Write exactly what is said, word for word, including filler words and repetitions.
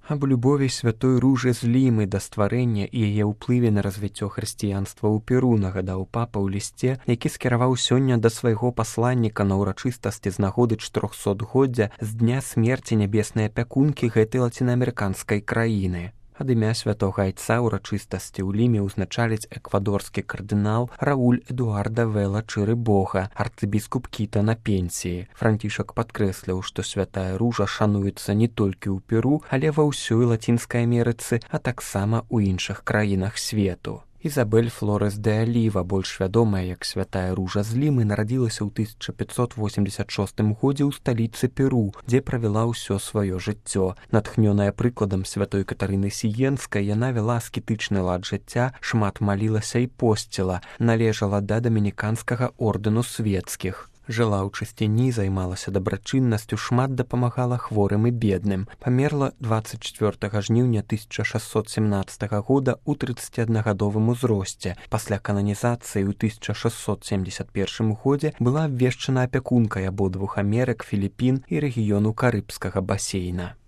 Аб любові святой Ружы з Лімы да стварэння і яе ўплыве на развіццё хрысціянства ў Перу нагадаў папа ў лісце, які скіраваў сёння да свайго пасланніка на ўрачыстасці з нагоды чатырохсотгоддзя з дня смерці нябеснай апякункі гэтай лацінаамерыканскай краіны. Ад імя святога айца ўрачыстасці ў Ліме ўзначаліць эквадорскі кардынал Рауль Эдуарда Вела Чырыбога, арцыбіскуп Кіта на пенсіі. Францішак падкрэсліў, што святая Ружа шануецца не толькі ў Перу, але ва ўсёй Лацінскай Амерыцы, а таксама ў іншых краінах свету. Ізабель Флорес де Аліва, больш вядомая як святая Ружа з Лімы, нарадзілася ў тысяча пятьсот восемьдесят шостым годзе ў сталіцы Перу, дзе правяла ўсё сваё жыццё. Натхнёная прыкладам святой Катарыны Сіенскай, яна вяла аскетычны лад жыцця, шмат малілася і посціла, належала да дамініканскага ордэну свецкіх. Жыла ў чысціні, займалася дабрачыннасцю, шмат дапамагала хворым і бедным. Памерла дваццаць чвёртага жніўня тысяча шэсцьсот семнаццатага года ў трыццаціаднагадовым узросце. Пасля кананізацыі ў тысяча шэсцьсот семьдесят першым годзе была абвешчана апякункай абодвух Амерык, Філіпін і рэгіёну Карыбскага басейна.